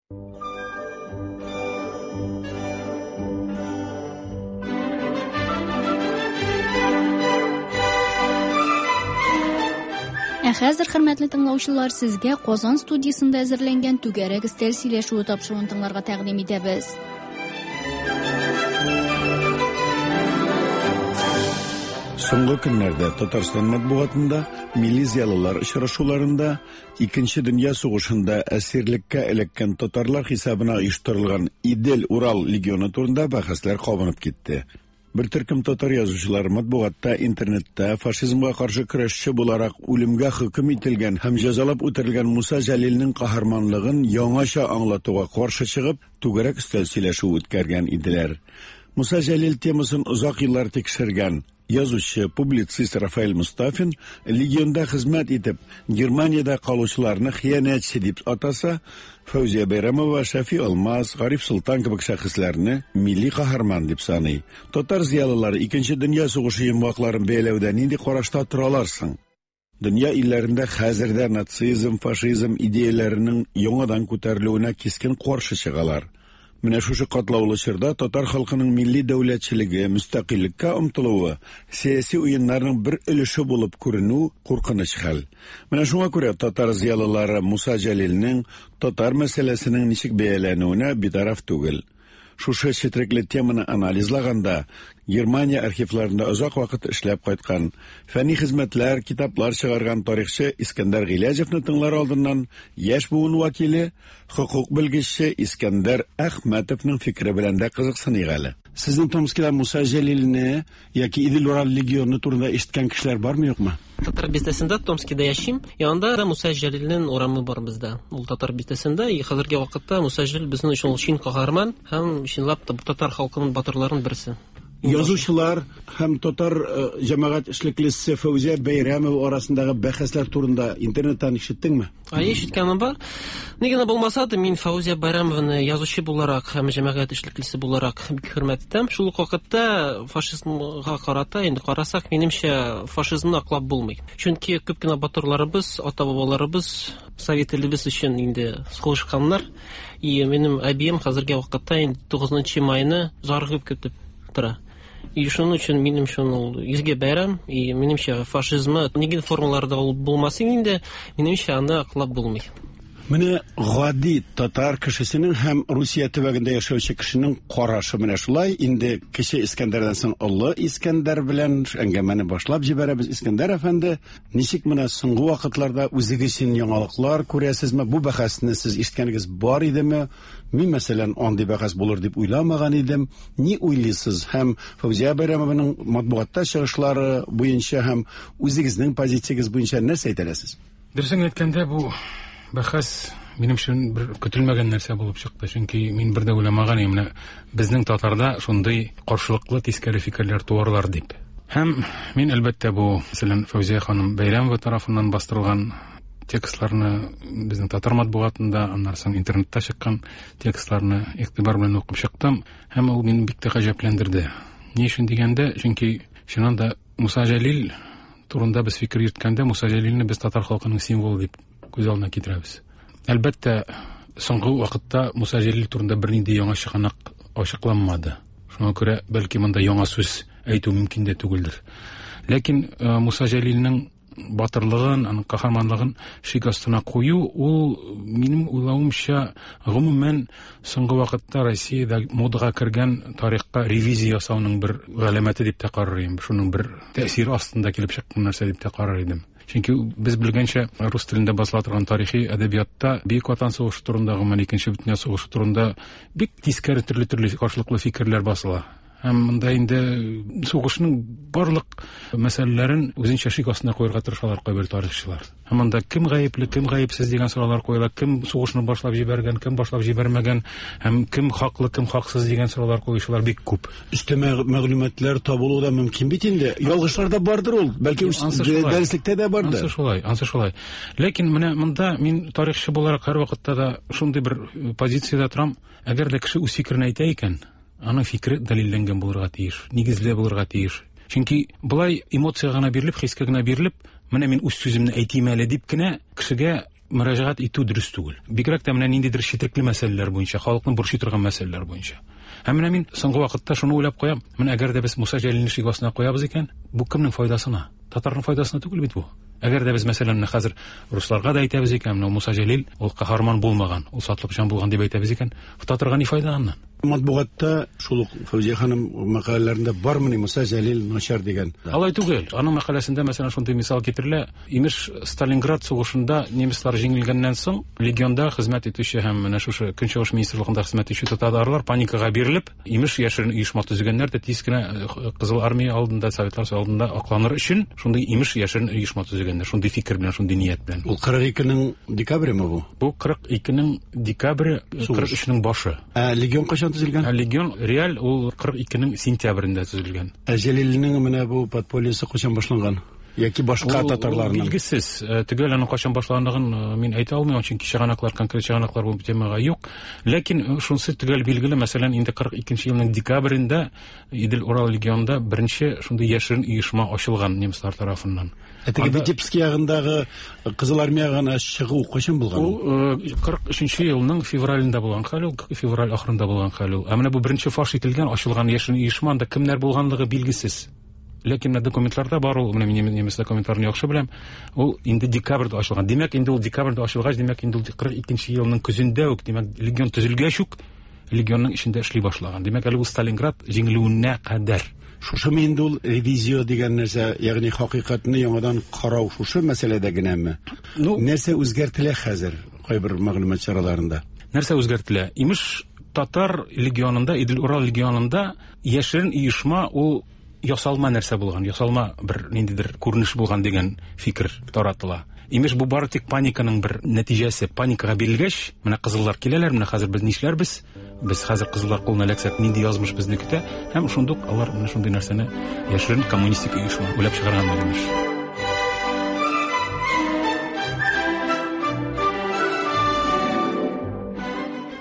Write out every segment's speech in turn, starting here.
Ә хәзер, хөрмәтле тыңлаучылар, сезгә Казан студиясендә әзерләнгән түгәрәк өстәл сөйләшүе тапшыруын тыңларга тәкъдим итәбез. Соңгы көннәрдә Татарстан матбугатында милли зыялылар очрашуларында Икенче дөнья сугышында әсирлеккә эләккән татарлар хисабына оештырылган Идел-Урал легионы турында бәхәсләр кабынып китте. Бер төркем татар язучылары матбугатта, интернетта фашизмга каршы көрәшче буларак үлемгә хөкем ителгән һәм җәзалап үтерелгән Муса Җәлилнең каһарманлыгын яңача аңлатуга каршы чыгып, түгәрәк өстәл сөйләшүе үткәргән иделәр. Муса Җәлил темасын озак еллар тикшергән, Язучы, публицист Рафаэль Мостафин легионда хезмәт итеп, Германиядә калучыларны хыянәтче дип атаса, Фәүзия Бәйрәмова, Шәфи Алмаз, Гариф Солтан кебек шәхесләрне милли каһарман дип саный. Татар зыялылары Икенче дөнья сугышы йомгакларын бәяләүдә нинди карашта торалар соң? Дөнья илләрендә хәзер дә нацизм, фашизм идеяләренең яңадан күтәрелүенә кискен каршы чыгалар. Менә шушы катлаулы чорда татар халкының милли дәүләтчелеге, мөстәкыйльлеккә омтылуы сәяси уеннарның бер өлеше булып күренү куркыныч хәл. Менә шуңа күрә татар зыялылары Муса Җәлилнең татар мәсьәләсенең ничек бәяләнүенә битараф түгел. Шушы четрекле теманы анализлаганда, Германия архивларында озак вакыт эшләп кайткан, фәнни хезмәтләр, китаплар чыгарган тарихчы Искәндәр Гыйләҗевны тыңлар алдыннан яшь буын вәкиле, хокук белгече Искәндәр Әхмәтовның фикере белән дә кызыксыныйк әле. Сезнең Томскида Муса Җәлилне яки Идел-Урал легионы турында ишеткән кешеләр бармы, юкмы? Татар бистәсендә Томскида яшим. И анда да Муса Җәлилнең урамы бар бездә. Ул татар бистәсендә. И хәзерге вакытта Муса Җәлил безнең өчен ул чын каһарман һәм чынлап та татар халкының батырларының берсе. Язучылар һәм татар э, җәмәгать эшлеклесе Фәүзия Бәйрәмова арасындагы бәхәсләр турында интернеттан ишеттеңме? Әйе, ишеткәнем бар. Ни генә булмаса да, мин Фәүзия Бәйрәмованы язучы буларак һәм җәмәгать эшлеклесе буларак бик хөрмәт итәм. Шул ук вакытта фашизмга карата, инде карасак, минемчә, фашизмны аклап булмый. Чөнки күп кенә батырларыбыз, ата-бабаларыбыз совет илебез өчен инде сугышканнар. И минем әбием хәзерге вакытта инде 9 майны зарыгып көтеп тора. И шуның өчен минем өчен ул изге бәйрәм, и минемчә фашизмы нинди формаларда ул булмасын инде, минемчә аны аклап булмый. Менә гади татар кешесенең һәм Русия төбәгендә яшәүче кешенең карашы менә шулай. Инде Кече Искәндәрдән соң Олы Искәндәр белән әңгәмәне башлап җибәрәбез. Искәндәр әфәнде, ничек менә соңгы вакытларда үзегез өчен яңалыклар күрәсезме? Бу бәхәсне сез ишеткәнегез бар идеме? Мин, мәсәлән, андый бәхәс булыр дип уйламаган идем. Ни уйлыйсыз? Һәм Фәүзия Бәйрәмованың матбугатта чыгышлары буенча һәм үзегезнең позициягез буенча нәрсә әйтә аласыз? Дөресен әйткәндә, бу бәхәс минем өчен бер көтелмәгән нәрсә булып чыкты. Чөнки мин бер дә уйламаган идем, менә безнең татарда шундый каршылыклы тискәре фикерләр туарлар дип. Һәм мин, әлбәттә, бу, мәсәлән, Фәүзия ханым Бәйрәмова тарафыннан бастырылган текстларны безнең татар матбугатында, аннан соң интернетта чыккан текстларны игътибар белән укып чыктым һәм ул мине бик тә гаҗәпләндерде. Ни өчен дигәндә, чөнки чыннан да Муса Җәлил турында без фикер йөрткәндә, Муса Җәлилне без татар халкының символы дип күз алдына китерәбез. Әлбәттә, соңгы вакытта Муса Җәлил турында бернинди яңа чыганак ачыкланмады. Шуңа күрә, бәлки, монда яңа сүз әйтү мөмкин дә түгелдер. Ләкин э, Муса Җәлилнең батырлыгын, аның каһарманлыгын шик астына кую, ул, минем уйлавымча, гомумән, соңгы вакытта Россиядә модага кергән тарихка ревизия ясауның бер галәмәте дип тә карар идем. Шуның бер тәэсире астында килеп чыккан нәрсә дип тә карар идем. Чөнки без белгәнчә, рус телендә басыла торган тарихи әдәбиятта Бөек Ватан сугышы турында, гомумән, Икенче бөтендөнья сугышы турында бик тискәре төрле-төрле каршылыклы фикерләр басыла. Һәм монда инде сугышның барлык мәсьәләләрен үзенчә шик астына куярга тырышалар кайбер тарихчылар. Һәм монда кем гаепле, кем гаепсез дигән сораулар куела, кем сугышны башлап җибәргән, кем башлап җибәрмәгән, һәм кем хаклы, кем хаксыз дигән сораулар куючылар бик күп. Өстәмә мәгълүматлар табылу да мөмкин бит инде. Ялгышлар да бардыр ул. Бәлки дәреслектә дә бардыр. Ансы шулай, ансы шулай. Ләкин менә монда мин тарихчы буларак һәрвакытта да шундый бер позициядә торам. Әгәр дә кеше үз фикерен әйтә икән, Аның фикере дәлилләнгән булырга тиеш, нигезле булырга тиеш. Чөнки болай эмоциягә генә бирелеп, хискә генә бирелеп, менә мин үз сүземне әйтим әле дип кенә кешегә мөрәҗәгать итү дөрес түгел. Бигрәк тә менә ниндидер четерекле мәсьәләләр буенча, халыкны борчый торган мәсьәләләр буенча. Һәм менә мин соңгы вакытта шуны уйлап куям, менә әгәр дә без Муса Җәлилне шик астына куябыз икән, бу кемнең файдасына? Татарның файдасына түгел бит бу. Әгәр дә без, мәсәлән, менә хәзер русларга да әйтәбез икән, менә Муса Җәлил ул каһарман булмаган, ул сатлыкҗан булган дип әйтәбез икән, татарга ни файда аннан? Матбугатта шул ук Фәүзия ханым мәкаләләрендә бармыни Муса Җәлил начар дигән? Алай түгел. Аның мәкаләсендә, мәсәлән, шундый мисал китерелә. Имеш, Сталинград сугышында немецлар җиңелгәннән соң, легионда хезмәт итүче һәм менә шушы Көнчыгыш министрлыгында хезмәт итүче татарлар паникага бирелеп, имеш, яшерен оешма төзегәннәр дә тиз кенә Кызыл армия алдында, Советлар Союзы алдында акланыр өчен шундый имеш яшерен оешма төзегәннәр, шундый фикер белән, шундый ният белән. Ул 42-нең декабреме бу? Бу 42-нең декабре, 43-нең башы. Ә легион кайчан төзелгән? Ә легион реаль ул 42-нең сентябрендә төзелгән. Ә Җәлилнең менә бу подпольесы кайчан башланган? Яки башка татарларның? Билгесез. Төгәл аның кайчан башланганлыгын мин әйтә алмыйм, чөнки чыганаклар, конкрет чыганаклар бу темага юк. Ләкин шунысы төгәл билгеле, мәсәлән, инде 42 елның декабрендә Идел-Урал легионында беренче шундый яшерен оешма ачылган немецлар тарафыннан. Ә теге Витебск ягындагы Кызыл армиягә гына чыгу кайчан булган? Ул 43 елның февралендә булган хәл ул, февраль ахырында булган хәл ул. Ә менә бу беренче фаш ителгән, ачылган яшерен оешма, анда кемнәр булганлыгы билгесез. Ләкин менә документларда бар ул, менә мин немец документларын яхшы беләм. Ул инде декабрьдә ачылган. Димәк, инде ул декабрьдә ачылгач, димәк, инде ул 42 елның көзендә үк, димәк, легион төзелгәч үк, легионның эчендә эшли башлаган. Димәк, әле ул Сталинград җиңелүенә кадәр. Шушымы инде ул ревизия дигән нәрсә, ягъни хакыйкатьне яңадан карау шушы мәсьәләдә генәме? Ну, нәрсә үзгәртелә хәзер кайбер мәгълүмат чараларында? Нәрсә үзгәртелә? Имеш, татар легионында, Идел-Урал легионында яшерен оешма ул ясалма нәрсә булган, ясалма бер ниндидер күренеш булган дигән фикер таратыла. Имеш, бу бары тик паниканың бер нәтиҗәсе. Паникага бирелгәч, менә кызыллар киләләр, менә хәзер без нишләрбез? Без хәзер кызыллар кулына эләксәк, нинди язмыш безне көтә? Һәм шундук алар менә шундый нәрсәне яшерен коммунистик оешма уйлап чыгарганнар, имеш.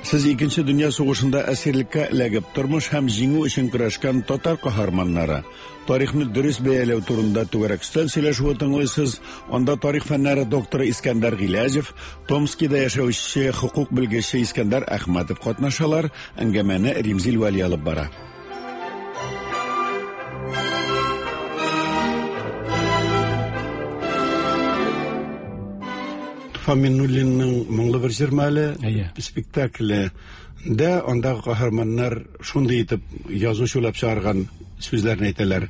Сез Икенче дөнья сугышында әсирлеккә эләгеп, тормыш һәм җиңү өчен көрәшкән татар каһарманнары, тарихны дөрес бәяләү турында түгәрәк өстәл сөйләшүе тыңлыйсыз. Анда тарих фәннәре докторы Искәндәр Гыйләҗев, Томскида яшәүче хокук белгече Искәндәр Әхмәтов катнашалар. Әңгәмәне Римзил Вәли алып бара. Туфан Миннуллинның Моңлы бер җырмы әле спектакле дә андагы каһарманнар шундый итеп язучы уйлап чыгарган сүзләрне әйтәләр.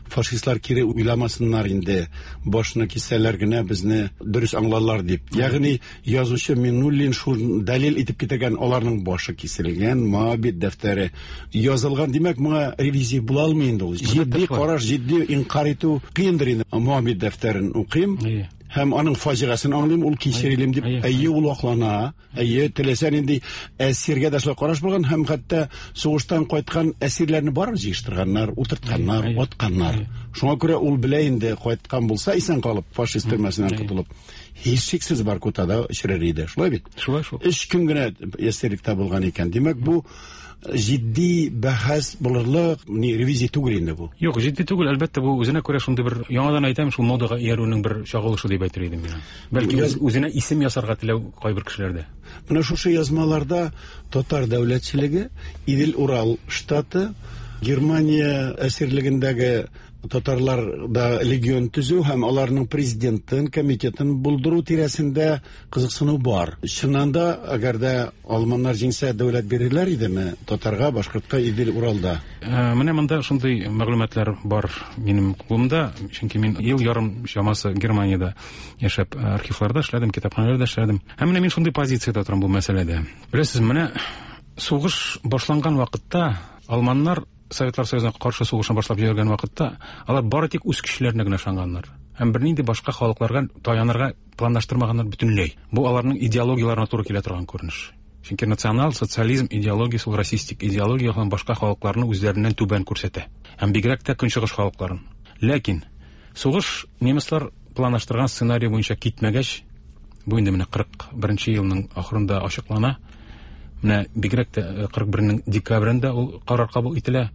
Фашистлар кире уйламасыннар инде, башны киссәләр генә безне дөрес аңларлар дип. Ягъни язучы Миннуллин шул дәлил итеп китергән, аларның башы киселгән, Моабит дәфтәре язылган. Димәк, моңа ревизия була алмый инде ул. Җитди караш, җитди инкарь итү кыендыр инде. Моабит дәфтәрен укыйм. Һәм аның фаҗигасын аңлыйм, ул кичерелим дип, әйе, ул аклана, әйе, теләсә нинди әсиргә дә шулай караш булган, һәм хәтта сугыштан кайткан әсирләрне барып җыештырганнар, утыртканнар, атканнар. Шуңа күрә ул белә инде, кайткан булса, исән калып, фашист төрмәсеннән котылып, һичшиксез Воркутада очрар иде. Шулай бит? Шулай шул. 3 көн генә әсирлектә булган икән. Димәк, бу җитди бәхәс булырлык, ни, ревизия түгел инде бу. Юк, җитди түгел, әлбәттә, бу үзенә күрә шундый бер, яңадан әйтәм, шул модага иярүнең бер чагылышы дип әйтер идем мин. Бәлки үзенә исем ясарга теләү кайбер кешеләрдә. Менә шушы язмаларда татар дәүләтчелеге, Идел-Урал штаты, Германия әсирлегендәге татарларда легион төзү һәм аларның президентын, комитетын булдыру тирәсендә кызыксыну бар. Чыннан да, әгәр дә алманнар җиңсә, дәүләт бирерләр идеме татарга, башкортка Идел-Уралда? Менә монда шундый мәгълүматлар бар минем кулымда, чөнки мин ел ярым чамасы Германиядә яшәп, архивларда эшләдем, китапханәләрдә эшләдем. Һәм менә мин шундый позициядә торам бу мәсьәләдә. Беләсез, менә сугыш башланган вакытта алманнар Советлар Союзына каршы сугышны башлап җибәргән вакытта алар бары тик үз көчләренә генә ышанганнар. Һәм бернинди башка халыкларга таянырга планлаштырмаганнар бөтенләй. Бу аларның идеологияләренә туры килә торган күренеш. Чөнки национал социализм идеологиясе ул расистик идеология һәм башка халыкларны үзләреннән түбән күрсәтә. Һәм бигрәк тә көнчыгыш халыкларын. Ләкин сугыш немецлар планлаштырган сценарий буенча китмәгәч, бу инде менә 41 елның ахырында ачыклана. Менә бигрәк тә 41-нең декабрендә ул карар кабул ителә.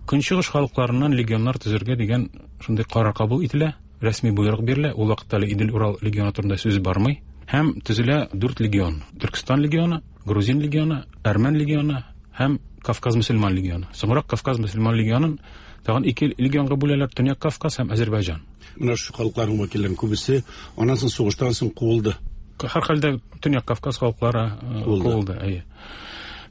Көнчыгыш халыкларыннан легионнар төзергә дигән шундый карар кабул ителә, рәсми боерык бирелә. Ул вакытта әле Идел-Урал легионы турында сүз бармый. Һәм төзелә 4 легион. Төркестан легионы, Грузин легионы, Әрмән легионы һәм Кавказ мөселман легионы. Соңрак Кавказ мөселман легионын тагын ике легионга бүләләр: Төньяк Кавказ һәм Азербайҗан. Менә шушы халыкларның вәкилләренең күбесе аннан соң сугыштан соң куылды. Һәрхәлдә Төньяк Кавказ халыклары куылды, әйе.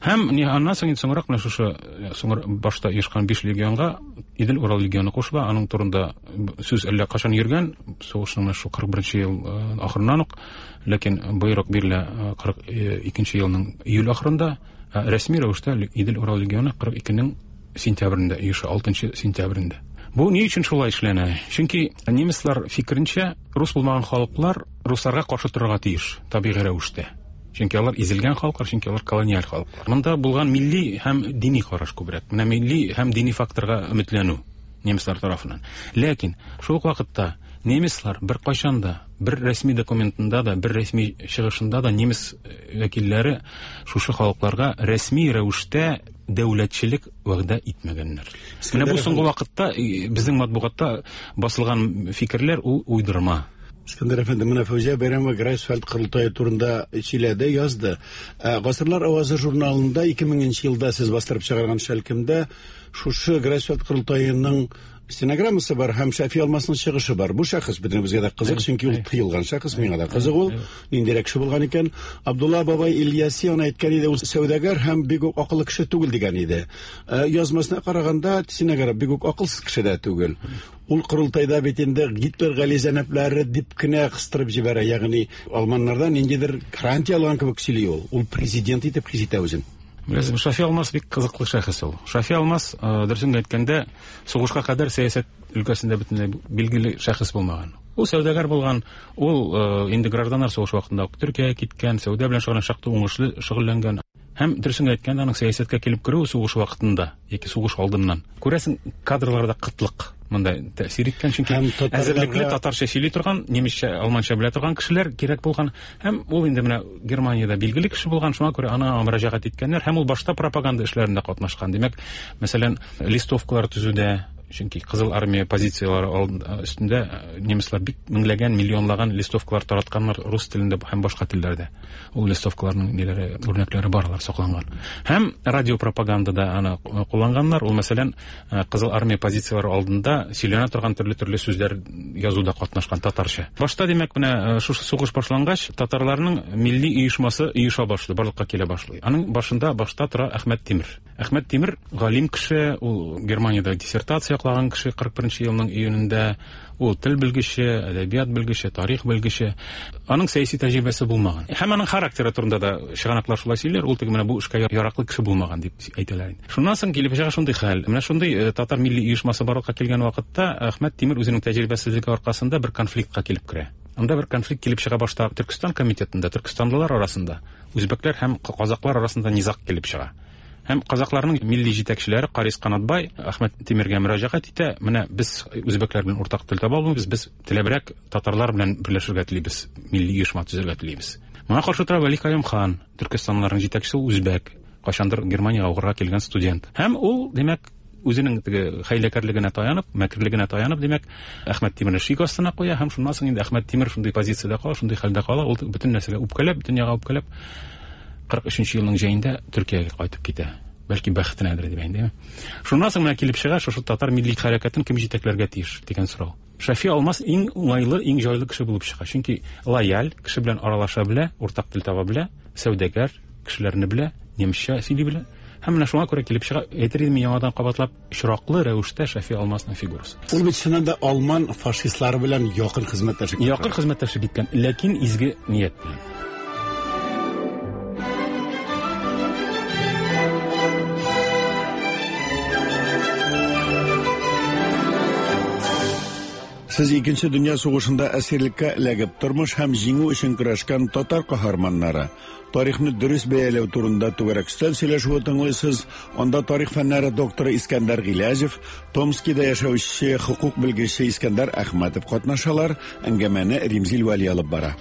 Һәм аннан соң инде соңрак менә шушы соңра башта оешкан 5 легионга Идел Урал легионы кушыла. Аның турында сүз әллә кайчан йөргән, сугышның менә шу 41 ел ахырыннан ук, ләкин боерык бирелә 42 елның июль ахырында, рәсми рәвештә Идел Урал легионы 42-нең сентябрендә оеша, 6 сентябрендә. Бу ни өчен шулай эшләнә? Чөнки немецлар фикеренчә, рус булмаган халыклар русларга каршы торырга тиеш, табигый рәвештә. Чөнки алар изелгән халыклар, чөнки алар колониаль халыклар. Монда булган милли һәм дини караш күбрәк. Менә милли һәм дини факторга өметләнү немецлар тарафыннан. Ләкин шул ук вакытта немецлар бер кайчан да, бер рәсми документында да, бер рәсми чыгышында да немец вәкилләре шушы халыкларга рәсми рәвештә дәүләтчелек вәгъдә итмәгәннәр. Менә бу соңгы вакытта безнең матбугатта басылган фикерләр ул уйдырма. Искәндәр әфәнде, менә Фәүзия Бәйрәмова Грайфсвальд корылтае турында сөйләде, язды. Гасырлар авазы журналында 2000 елда сез бастырып чыгарган шәлкемдә шушы Грайфсвальд корылтаеның стенограммасы бар һәм Шәфи Алмасның чыгышы бар. Бу шәхес бөтенебезгә дә кызык, чөнки ул тыелган шәхес, миңа да кызык ул. Ниндирәк кеше булган икән? Абдулла бабай Ильяси аны әйткән иде, ул сәүдәгәр һәм бик үк акыллы кеше түгел дигән иде. Язмасына караганда, синәгәр бик үк акылсыз кеше дә түгел. Ул корылтайда бит инде Гитлер галиҗәнаплары дип кенә кыстырып җибәрә, ягъни алманнардан ниндидер гарантия алган кебек сөйли ул. Ул президент итеп хис итә үзен. Беләсезме, Шафи Алмас бик кызыклы шәхес ул. Шафи Алмас, дөресен әйткәндә, сугышка кадәр сәясәт өлкәсендә бөтенләй билгеле шәхес булмаган. Ул сәүдәгәр булган, ул инде гражданнар сугышы вакытында ук Төркиягә киткән, сәүдә белән шөгыльләнгән, шактый уңышлы шөгыльләнгән. Һәм дөресен әйткәндә, аның сәясәткә килеп керүе сугыш вакытында яки сугыш алдыннан. Күрәсең, кадрларда кытлык монда тәэсир иткән, чөнки әзерлекле татарча сөйли торган, немецчә, алманча белә торган кешеләр кирәк булган. Һәм ул инде менә Германиядә билгеле кеше булган, шуңа күрә ана мөрәҗәгать иткәннәр. Һәм ул башта пропаганда эшләрендә катнашкан. Димәк, мәсәлән, листовкалар төзүдә, чөнки Кызыл армия позицияләре өстендә немецлар бик меңләгән, миллионлаган листовкалар таратканнар рус телендә һәм башка телләрдә. Ул листовкаларның ниләре, үрнәкләре бар, алар сакланган. Һәм радиопропагандада аны кулланганнар. Ул, мәсәлән, Кызыл армия позицияләре алдында сөйләнә торган төрле-төрле сүзләр язуда катнашкан татарча. Башта, димәк, менә шушы сугыш башлангач, татарларның милли оешмасы оеша башлый, барлыкка килә башлый. Аның башында башта тора Әхмәт Тимер. Әхмәт Тимер галим кеше, ул Германиядә диссертация яклаган кеше 41 елның июнендә. Ул тел белгече, әдәбият белгече, тарих белгече. Аның сәяси тәҗрибәсе булмаган. Һәм аның характеры турында да чыганаклар шулай сөйлиләр, ул теге менә бу эшкә яраклы кеше булмаган дип әйтәләр инде. Шуннан соң килеп чыга шундый хәл. Менә шундый татар милли оешмасы барлыкка килгән вакытта Әхмәт Тимер үзенең тәҗрибәсезлеге аркасында бер конфликтка килеп керә. Анда бер конфликт килеп чыга башта Төркестан комитетында, төркестанлылар арасында, үзбәкләр һәм казаклар арасында низаг килеп чыга. Һәм казакларның милли җитәкчеләре Карис Канатбай Әхмәт Тимергә мөрәҗәгать итә. Менә без үзбәкләр белән уртак тел таба алмыйбыз, без теләбрәк татарлар белән берләшергә телибез, милли оешма төзергә телибез. Моңа каршы тора Вәли Каюм хан, төркестанлыларның җитәкчесе, ул үзбәк, кайчандыр Германиягә укырга килгән студент. Һәм ул, димәк, үзенең теге хәйләкәрлегенә таянып, мәкерлегенә таянып, димәк, Әхмәт Тимерне шик астына куя һәм шуннан соң инде Әхмәт Тимер шундый позициядә кала, шундый хәлдә кала, ул бөтен нәрсәгә үпкәләп, дөньяга үпкәләп, 43 елның җәендә Төркиягә кайтып китә. Бәлки бәхетенәдер дип әйтәм. Шуннан соң менә килеп чыга, шушы татар милли хәрәкәтен кем җитәкләргә тиеш дигән сорау. Шәфи Алмас иң уңайлы, иң җайлы кеше булып чыга. Чөнки лояль, кеше белән аралаша белә, уртак тел таба белә, сәүдәгәр, кешеләрне белә, немецчә сөйли белә. Һәм менә шуңа күрә килеп чыга, әйтер идем яңадан кабатлап, очраклы рәвештә Шәфи Алмасның фигурасы. Ул бит чыннан да алман фашистлары белән якын хезмәттәшлек иткән. Якын хезмәттәшлек иткән, ләкин изге ният белән. Сез Икенче дөнья сугышында әсирлеккә эләгеп, тормыш һәм җиңү өчен көрәшкән татар каһарманнары, тарихны дөрес бәяләү турында түгәрәк өстәл сөйләшүе тыңлыйсыз. Анда тарих фәннәре докторы Искәндәр Гыйләҗев, Томскида яшәүче хокук белгече Искәндәр Әхмәтов катнашалар. Әңгәмәне Римзил Вәли алып бара.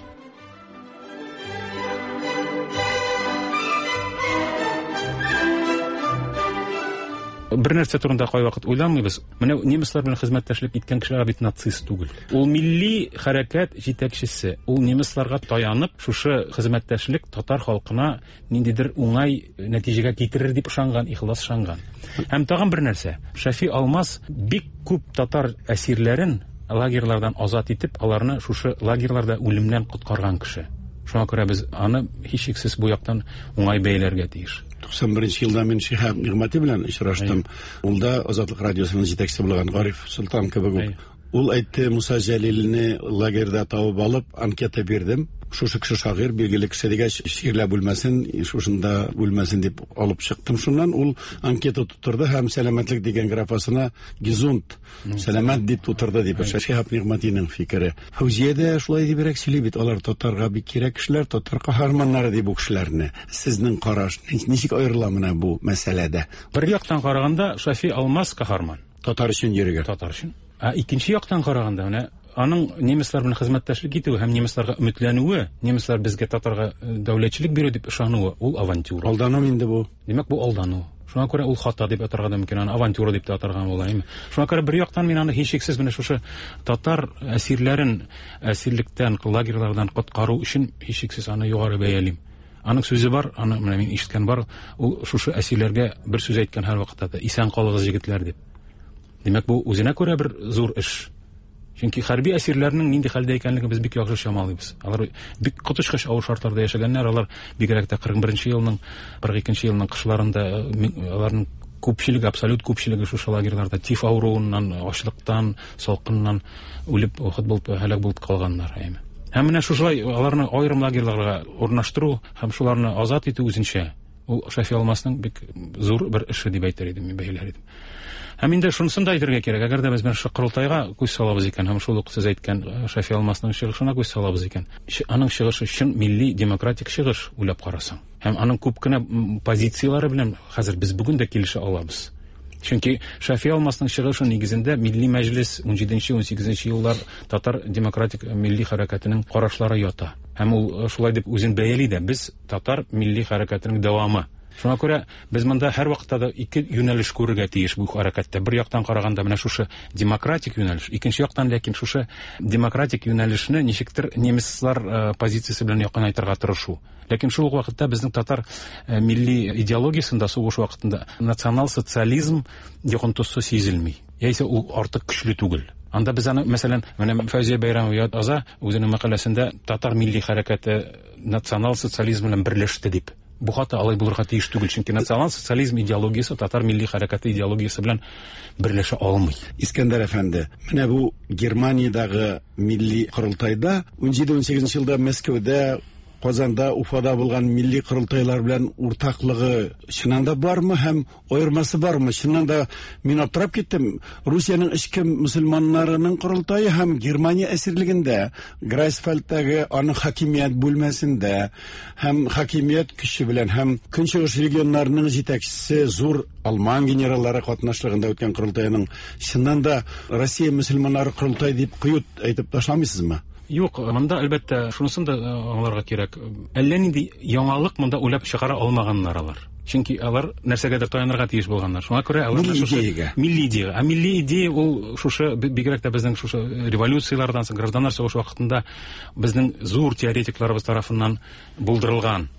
Бер нәрсә турында кайвакыт уйламыйбыз. Менә немецлар белән хезмәттәшлек иткән кешеләр бит нацист түгел. Ул милли хәрәкәт җитәкчесе. Ул немецларга таянып, шушы хезмәттәшлек татар халкына ниндидер уңай нәтиҗәгә китерер дип ышанган, ихлас ышанган. Һәм тагын бер нәрсә. Шәфи Алмаз бик күп татар әсирләрен лагерьлардан азат итеп, аларны шушы лагерьларда үлемнән коткарган кеше. Шуңа күрә без аны һичшиксез бу яктан уңай бәяләргә тиеш. 91 елда мин Шиһаб Нигъмәти белән очраштым. Ул да Азатлык радиосының җитәкчесе булган Гариф Солтан кебек үк. Ул әйтте, Муса Җәлилне лагерьда табып алып, анкета бирдем. Шушы кеше шагыйрь, билгеле кеше дигәч, чирләп үлмәсен, шушында үлмәсен дип алып чыктым шуннан. Ул анкета тутырды һәм сәламәтлек дигән графасына гезунд, сәламәт дип тутырды дип. Шиһаб Нигъмәтинең фикере. Фәүзия дә шулай дибрәк сөйли бит, алар татарга бик кирәк кешеләр, татар каһарманнары ди бу кешеләрне. Сезнең караш ничек аерыла менә бу мәсьәләдә? Бер яктан караганда, Шафи Алмаз каһарман. Татар өчен йөрегән. Татар өчен. Ә икенче яктан караганда, менә аның немецлар белән хезмәттәшлек итүе һәм немецларга өметләнүе, немецлар безгә татарга дәүләтчелек бирү дип ышануы, ул авантюра. Алдану инде бу. Димәк, бу алдану. Шуңа күрә ул хата дип атарга да мөмкин, аны авантюра дип тә атарга була, әйме? Шуңа күрә бер яктан мин аны һичшиксез менә шушы татар әсирләрен әсирлектән, лагерьлардан коткару өчен һичшиксез аны югары бәялим. Аның сүзе бар, аны менә мин ишеткән бар, ул шушы әсирләргә бер сүз әйткән һәрвакытта да, исән калыгыз, егетләр дип. Димәк, бу үзенә күрә бер зур эш. Чөнки хәрби әсирләрнең нинди хәлдә икәнлеген без бик яхшы чамалыйбыз. Алар бик коточкыч авыр шартларда яшәгәннәр, алар бигрәк тә 41 елның, 42 елның кышларында аларның күпчелеге, абсолют күпчелеге шушы лагерьларда тиф авыруыннан, ачлыктан, салкыннан үлеп, вафат булып, һәлак булып калганнар, әйме. Һәм менә шушылай аларны аерым лагерьларга урнаштыру һәм шуларны азат итү үзенчә ул Шәфи Алмасның бик зур бер эше дип әйтер идем, мин бәяләр идем. Һәм инде шунысын да әйтергә кирәк, әгәр дә без менә шушы корылтайга күз салабыз икән, һәм шул ук сез әйткән Шәфи Алмасның чыгышына күз салабыз икән, аның чыгышы чын милли демократик чыгыш, уйлап карасаң. Һәм аның күп кенә позицияләре белән хәзер без бүген дә килешә алабыз. Чөнки Шәфи Алмасның чыгышы нигезендә Милли Мәҗлес 17-18 еллар татар демократик милли хәрәкәтенең карашлары ята. Һәм ул шулай дип үзен бәяли дә, без татар милли хәрәкәтенең дәвамы. Шуңа күрә без монда һәрвакытта да ике юнәлеш күрергә тиеш бу хәрәкәттә. Бер яктан караганда менә шушы демократик юнәлеш, икенче яктан ләкин шушы демократик юнәлешне ничектер немецлар позициясе белән якынайтырга тырышу. Ләкин шул ук вакытта безнең татар милли идеологиясендә сугыш вакытында национал-социализм йогынтысы сизелми. Яисә ул артык көчле түгел. Анда без аны, мәсәлән, менә Фәүзия Бәйрәмова яза үзенең мәкаләсендә татар милли хәрәкәте национал-социализм белән берләште дип. Бу хата алай булырга тиеш түгел, чөнки национал-социализм идеологиясе татар милли хәрәкәте идеологиясе белән берләшә алмый. Искәндәр әфәнде, менә бу Германиядәге милли корылтайда 17-18 елда Мәскәүдә, Казанда, Уфада булган милли корылтайлар белән уртаклыгы чыннан да бармы һәм аермасы бармы? Чыннан да мин аптырап киттем. Русиянең эчке мөселманнарының корылтае һәм Германия әсирлегендә, Грайсфальдтагы аның хакимият бүлмәсендә һәм хакимият көче белән һәм Көнчыгыш регионнарының җитәкчесе зур алман генераллары катнашлыгында үткән корылтайның чыннан да Россия мөселманнары корылтае дип кыю әйтеп ташламыйсызмы? Юк, монда әлбәттә шунысын да аңларга кирәк. Әллә нинди яңалык монда уйлап чыгара алмаганнар алар. Чөнки алар нәрсәгәдер таянырга тиеш булганнар. Шуңа күрә алар милли идеягә. Милли идея. Ә милли идея ул шушы бигрәк тә безнең шушы революцияләрдән соң, гражданнар сугышы вакытында безнең зур теоретикларыбыз тарафыннан булдырылган.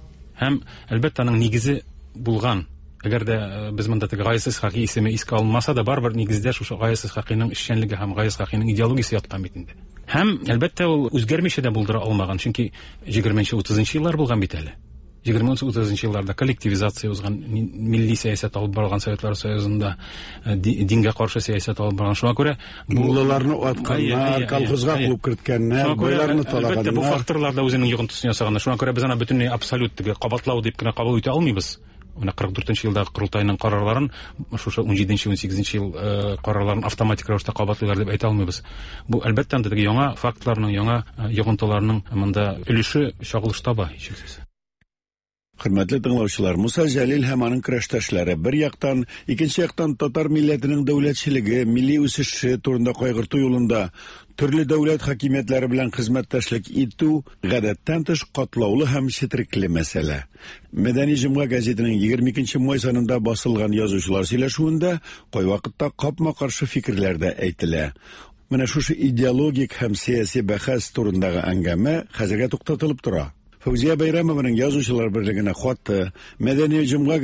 Һәм әлбәттә аның нигезе булган. Әгәр дә без монда теге Гаяз Исхакый исеме искә алынмаса да, барыбер нигездә шушы Гаяз Исхакыйның эшчәнлеге һәм Гаяз Исхакыйның идеологиясе яткан бит инде. Һәм әлбәттә ул үзгәрмичә дә булдыра алмаган, чөнки 20-30 еллар булган бит әле. 20-30 елларда коллективизация узган, милли сәясәт алып барган Советлар Союзында, дингә каршы сәясәт алып барган. Шуңа күрә муллаларны атканнар, колхозга куып керткәннәр, байларны талаганнар. Әлбәттә, бу факторлар да үзенең йогынтысын ясаганнар. Шуңа күрә без аны бөтенләй абсолют теге кабатлау дип кенә кабул итә алмыйбыз. Менә 44 елдагы корылтайның карарларын, шушы 17-18 ел карарларын автоматик рәвештә кабатлыйлар дип әйтә алмыйбыз. Бу әлбәттә анда теге яңа фактларның, яңа йогынтыларның монда өлеше чагылыш таба, һичшиксез. Хөрмәтле тыңлаучылар, Муса Җәлил һәм аның көрәштәшләре бер яктан, икенче яктан татар милләтенең дәүләтчелеге, милли үсеше турында кайгырту юлында төрле дәүләт хакимиятләре белән хезмәттәшлек итү гадәттән тыш катлаулы һәм четерекле мәсьәлә. Мәдәни җомга газетының 22 май санында басылган язучылар сөйләшүендә кайвакытта капма-каршы фикерләр дә әйтелә. Менә шушы идеологик һәм сәяси бәхәс турындагы әңгәмә хәзергә туктатылып тора. Фәүзия Бәйрәмованың язучылар берлегенә хаты, Мәдәни җомга.